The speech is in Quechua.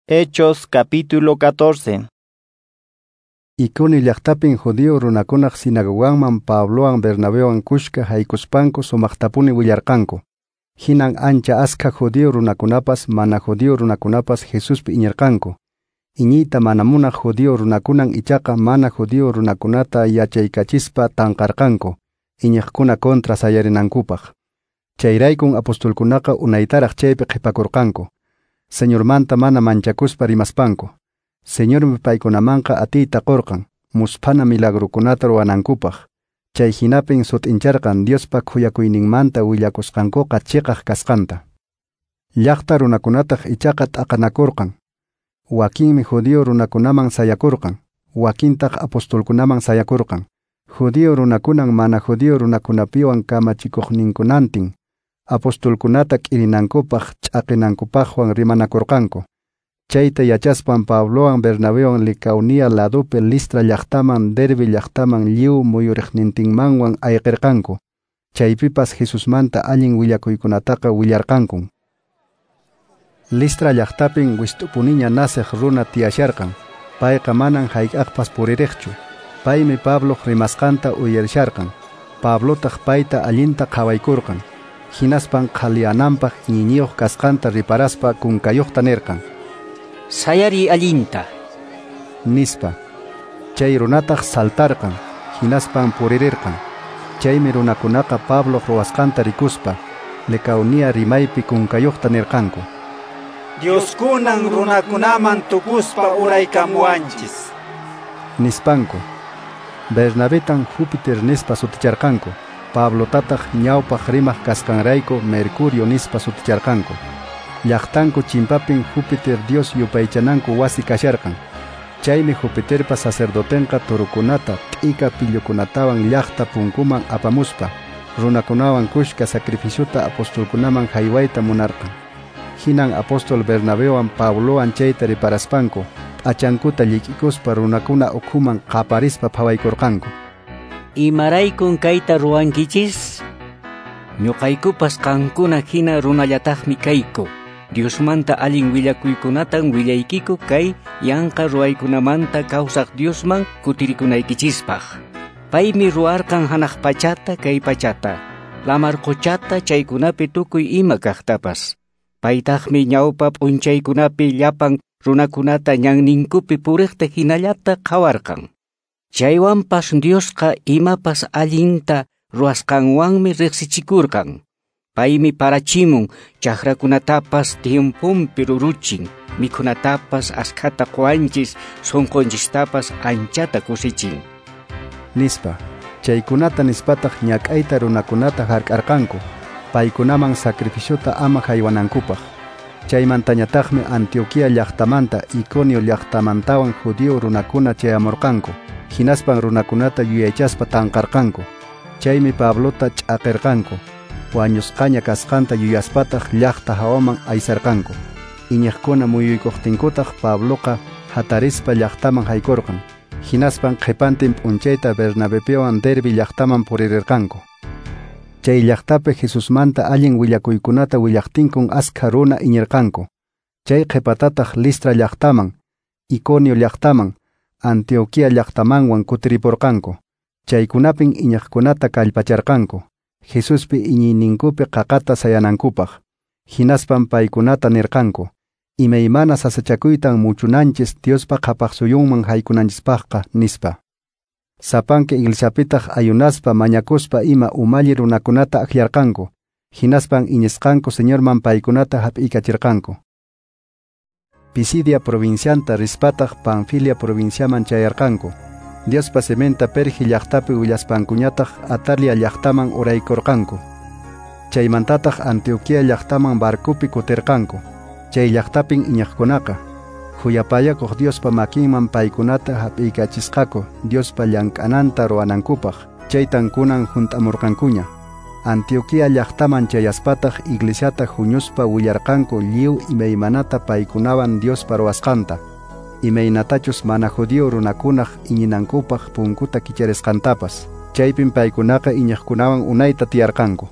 Hechos capítulo 14. Iconio llaqtapin judío runakunaq sinagoganman Pablowan Bernabewan kushka haykuspanku sumaqtapuni willarqanku. Hinan ancha askha judío runakunapas mana judío runakunapas Jesuspi iñirqanku. Iñiyta mana munaq judío runakunan ichaqa mana judío runakunata yachaykachispa tanqarqanku, iñiqkuna contra sayarinankupaq. Chayraykun apostolkunaqa unaytaraq chaypi qhipakurqanku. Señormanta mana manchakuspa rimaspanku. Señormi paykunamanqa atiyta qurqan, musphana milagrukunata ruwanankupaq. Chay hinapin sut'incharqan Diospa khuyakuyninmanta willakusqankuqa chiqaq kasqanta. Llaqta runakunataq ichaqa t'aqanakurqan. Wakinmi judío runakunaman sayakurqan, wakintaq apostolkunaman sayakurqan. Judío runakunan mana judío runakunapiwan kamachikuqninkunantin apostolkunata k'irinankupaq ch'aqinankupaqwan rimanakurqanku. Chayta yachaspan Pablowan Bernabewan Licaonia ladopi Listra llaqtaman Derbe llaqtaman lliw muyuriqnintinmanwan ayqirqanku. Chaypipas Jesusmanta allin willakuykunataqa willarqankun. Listra llaqtapin wist'upuniña naceq runa tiyasharqan. Payqa manan hayk'aqpas puririqchu. Paymi Pabloq rimasqanta uyarisharqan. Pablotaq payta allinta qhawaykurqan. Hinaspan qhaliyananpaq iñiyuq kasqanta riparaspa kunkayuqta nirqan: "Sayari allinta", nispa. Chay runataq saltarqan, hinaspan puririrqan. Chaymi runakunaqa Pabloq ruwasqanta rikuspa Licaonia rimaypi kunkayuqta nirqanku: "Dioskunan runakunaman tukuspa uraykamuwanchis", nispanku. Bernabetan Júpiter nispa suticharqanku. Pablotataq ñawpaq rimaq kasqanrayku Mercurio nispa suticharqanku. Llaqtanku chimpapin Júpiter Dios yupaychananku wasi kasharqan. Chaymi Júpiterpa sacerdotenqa turukunata t'ika pillukunatawan llaqta punkuman apamuspa runakunawan kushka sacrificiota apostolkunaman haywayta munarqan. Hinan apóstol Bernabewan Pablowan chayta riparaspanku p'achankuta llik'ikuspa runakuna ukhuman qaparispa phawaykurqanku: "Imaraykun kayta ruwankichis? Ñuqaykupas qankuna hina runallataqmi kayku. Diosmanta allin willakuykunatan willaykiku kay yanqa ruwaykunamanta kawsaq Diosman kutirikunaykichispaq. Paymi ruwarqan hanaq pachata kay pachata, lamar quchata chaykunapi tukuy ima kaqtapas. Paytaqmi ñawpa p'unchaykunapi llapan runakunata ñanninkupi puriqta hinallata qhawarqan. Chaywanpas Diosqa imapas allinta ruwasqanwanmi riqsichikurqan. Paymi parachimun chakrakunatapas tiemponpi ruruchin, mikhunatapas askhata quwanchis, sunqunchistapas anchata kusichin", nispa. Chaykunata nispataq ñak'ayta runakunata hark'arqanku, paykunaman sacrificiota ama haywanankupaq. Chaymantañataqmi Antioquía llaqtamanta Iconio llaqtamantawan judío runakuna chayamurqanku. Hinaspan runakunata yuyaychaspa tanqarqanku. Chaymi Pablota ch'aqirqanku. Wañusqaña kasqanta yuyaspataq llaqta hawaman aysarqanku. Iñiqkuna muyuykuqtinkutaq Pabloqa hatarispa llaqtaman haykurqan. Hinaspan qhipantin p'unchayta Bernabepiwan Derbe llaqtaman puririrqanku. Chay llaqtapi Jesusmanta allin willakuykunata willaqtinkun askha runa iñirqanku. Chay qhipatataq Listra llaqtaman, Iconio llaqtaman, Antioquía llaqtamanwan kutiripurqanku. Chaykunapin iñiqkunata kallpacharqanku, Jesuspi iñiyninkupi qaqata sayanankupaq. Hinaspan paykunata nirqanku: "Imaymana sasachakuytan muchunanchis Diospa qhapaqsuyunman haykunanchispaqqa", nispa. Sapanka iglesiapitaq ayunaspa mañakuspa ima umalli runakunata akllarqanku. Hinaspan iñisqanku Señorman paykunata hap'iykachirqanku. Pisidia provincianta rispataq Panfilia provinciaman chayarqanku. Diospa siminta Perge llaqtapi willaspankuñataq Atalia llaqtaman uraykurqanku. Chaymantataq Antioquía llaqtaman barcopi kutirqanku. Chay llaqtapin iñiqkunaqa khuyapayakuq Diospa makinman paykunata hap'iykachisqaku Diospa llank'ananta ruwanankupaq. Chaytan kunan hunt'amurqankuña. Antioquía llaqtaman chayaspataq iglesiata huñuspa willarqanku lliw imaymanata paykunawan Diospa ruwasqanta, imaynatachus mana judío runakunaq iñinankupaq punkuta kicharisqantapas. Chaypin paykunaqa iñiqkunawan unayta tiyarqanku.